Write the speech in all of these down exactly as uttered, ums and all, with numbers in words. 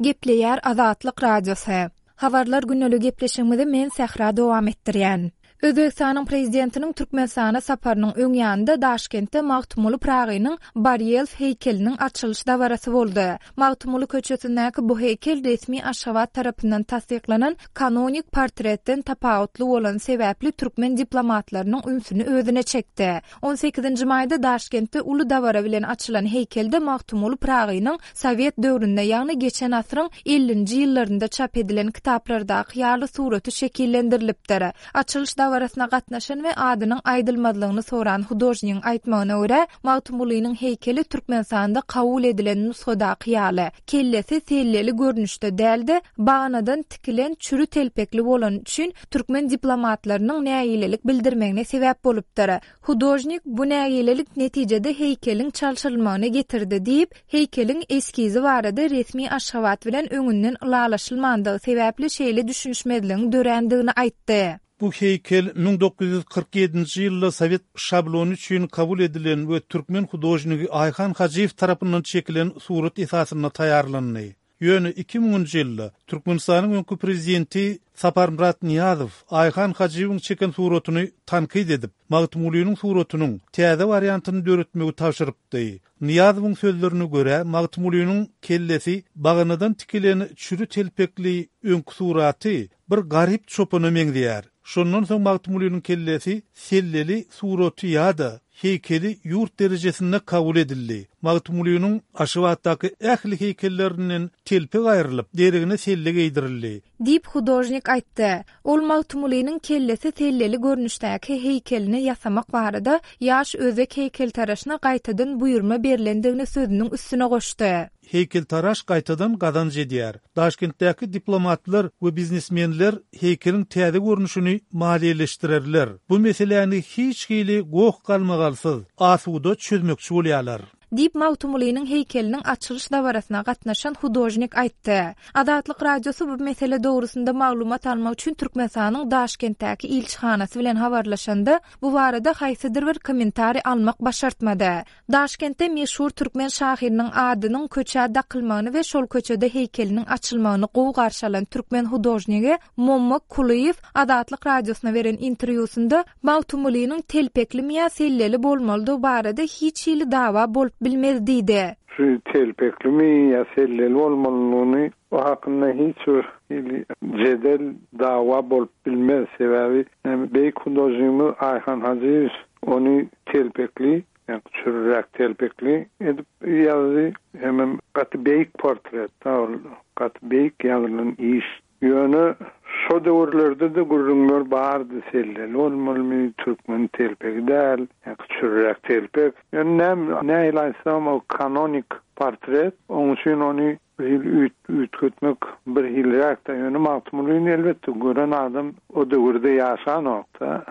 Gepleýär Azatlyk Radiosy. Habarlar gündelik gepleşigimizi men Sähra dowam etdirýän. Özbegistanyň Prezidentiniň Türkmenistana saparynyň öň ýanynda Daşkentde Magtymguly Pyragynyň barýelf heýkeliniň açylyş dabarasy boldy. Magtymguly köçesindäki bu heýkel resmi Aşgabat tarapyndan tassyklanan kanonik portretden tapawutly bolany sebäpli türkmen diplomatlarynyň ünsüni özüne çekdi. On sekizinji maýda Daşkentde uly dabara bilen açylan heýkelde Magtymguly Pyragynyň sowet döwründe, ýagny geçen asyryň ellinji ýyllarynda çap edilen kitaplardaky ýaly suraty şekillendirilipdir. Açylyş dabarasyna gatnaşan we adynyň aýdylmazlygyny soran hudožnigiň aýtmagyna görä, Magtymgulynyň heýkeli Türkmenistanda kabul edilen nusgadaky ýaly, kellesi selleli görnüşde däl-de, baganadan tikilen çüri telpekli bolany üçin türkmen diplomatlarynyň nägilelik bildirmegine sebäp bolupdyr. Hudožnik bu nägilelik netijede heýkeliň çalşyrylmagyna getirdi diýip, heýkeliň eskizi barada resmi Aşgabat bilen öňünden ylalaşylmandygy sebäpli şeýle düşünişmezligiň dörändigini aýtdy. Bu heýkel müň dokuz ýüz kyrk ýedinji ýylda sowet şablony üçin kabul edilen we türkmen hudožnigi Aýhan Hajyýew tarapyndan çekilen surat esasynda taýýarlandy. Ýöne iki müňünji ýylda Türkmenistanyň öňki prezidenti Saparmyrat Nyýazow Aýhan Hajyýewiň çeken suratyny tankyt edip, Magtymgulynyň suratynyň täze wariantyny döretmegi tabşyrypdy. Nyýazowyň sözlerine görä, Magtymgulynyň kellesi baganadan tikilen çüri telpekli öňki suraty bir garyp çopana meňzeýär. Şondan soň Magtymgulynyň kellesi selleli suraty ýa-da heýkeli ýurt derejesinde kabul edildi. Magtymgulynyň Aşgabatdaky ähli heýkellerinden telpek aýrylyp, deregine selle geýdirildi. Diýip hudožnik aýtdy. Ol Magtymgulynyň kellesi selleli görnüşdäki heýkelini ýasamak barada ýaş özbek heýkeltaraşyna gaýtadan buýurma berlendigini sözüniň üstüne goşdy. Heýkeltaraş gaýtadan gazanç edýär. Daşkentdäki diplomatlar we biznesmenler heýkeliň täze görnüşini maliýeleşdirerler. Bu meseläni hiç hili goh galmagalsyz, asuda çözmekçi bolýarlar. Diýip Magtymgulynyň heýkeliniň açylyş dabarasyna gatnaşan hudožnik aýtdy. Azatlyk Radiosy bu mesele dogrusynda maglumat almak üçin Türkmenistanyň Daşkentdäki ilçihanasy bilen habarlaşanda, bu barada haýsydyr bir kommentariý almak başartmady. Daşkentde meşhur türkmen şahyrynyň adynyň köçä dakylmagyny we şol köçede heýkeliniň açylmagyny gowy garşy alan türkmen hudožnigi Mommak Kulyýew Azatlyk Radiosyna beren interwýusynda Magtymgulynyň telpeklimi ýa selleli bolmalydygy barada hiç hili dawa bolup bilmez diýdi. Şu telpeklimi ýa selleli bolmalydygyny o hakynda hiç bir hili jedel dawa bolup bilmez. Sebäbi beýik hudožnigimiz Aýhan Hajyýew ony telpekli, ýa çürräk telpekli edip ýazdy. Hemem gaty beýik portret, gaty beýik ýazylan iş. Ýöne şo döwürlerde de gürrüňler bardy, selleli bolmalymy, türkmen telpegi däl, ýa çürräk telpek. Ýöne näme, nähili aýtsam, o kanonik portret, onuň üçin ony bir hil üýt-, üýtgetmek bir hilräk-de. Ýöne Magtymgulyny elbetde gören adam o döwürde ýaşanokda.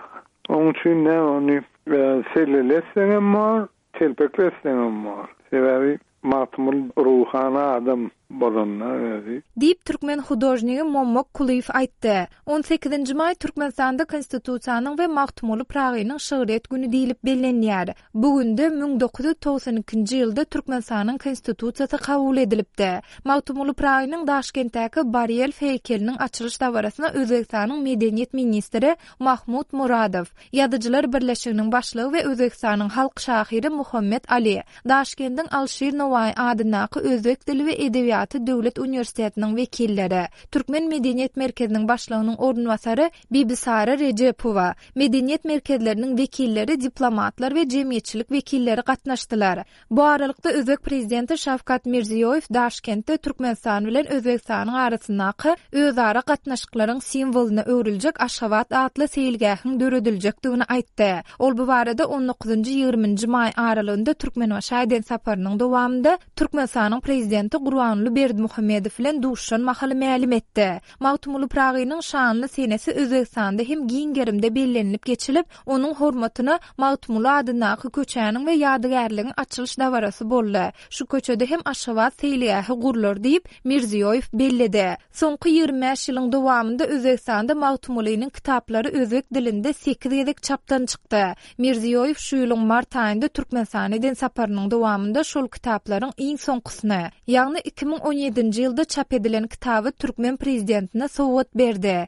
Onuň üçin näme ony, e, sellelesseňem bor, telpeklesseňem bor. Sebäbi Magtymguly ruhana adam bolanda özi. Diýip türkmen hudožnigi Mommak Kulyýew aýtdy. On sekizinji maý Türkmenistanda Konstitusiýanyň we Magtymguly Pyragynyň şygryýet güni diýlip bellenýär. Bu günde müň dokuz ýüz togsan ikinji ýylda Türkmenistanyň Konstitusiýasy kabul edilipdi. Magtymguly Pyragynyň Daşkentdäki barýelf heýkeliniň açylyş dabarasyna Özbegistanyň medeniýet ministri Mahmud Muradow, Ýazyjylar Birleşiginiň başlygy we Özbegistanyň halk şahyry Muhammet Ali, Daşkendiň Alşir Nowaý adyndaky Özbek dili we edebiýaty döwlet uniwersitetiniň wekilleri, Türkmen medeniýet merkeziniň başlygynyň orunbasary Bibisara Rejepowa, medeniýet merkezleriniň wekilleri, diplomatlar we jemgyýetçilik wekilleri gatnaşdylar. Bu aralykda Özbek prezidenti Şawkat Mirziýoýew Daşkentde Türkmenistan bilen Özbegistanyň arasyndaky özara gatnaşyklaryň simwolyna öwrüljek Aşgabat atly seýilgähiň dörediljekdigini aýtdy. Ol bu barada on dokuzynjy ýigriminji maý aralygynda Türkmenbaşy eden saparynyň dowamynda Türkmenistanyň prezidenti Gurbanguly Berdimuhamedow bilen duşuşan mahaly mälim etdi. Magtymguly Pyragynyň şanly senesi Özbegistanda hem giň gerimde bellenilip geçilip, onuň hormatyna Magtymguly adyndaky köçäniň we ýadygärligiň açylyş dabarasy boldy. Şu köçede hem Aşgabat seýilgähi gurlar diýip Mirziýoýew belledi. Soňky ýigrimi bäş ýylyň dowamynda Özbegistanda Magtymgulynyň kitaplary özbek dilinde sekiz gezek çapdan çykdy. Mirziýoýew şu ýylyň mart aýynda Türkmenistana eden saparynyň dowamynda şol kitaplaryň iň soňkusyny, ýagny iki müň müň on ýedinji ýylda çap edilen kitaby türkmen prezidentine sowgat berdi.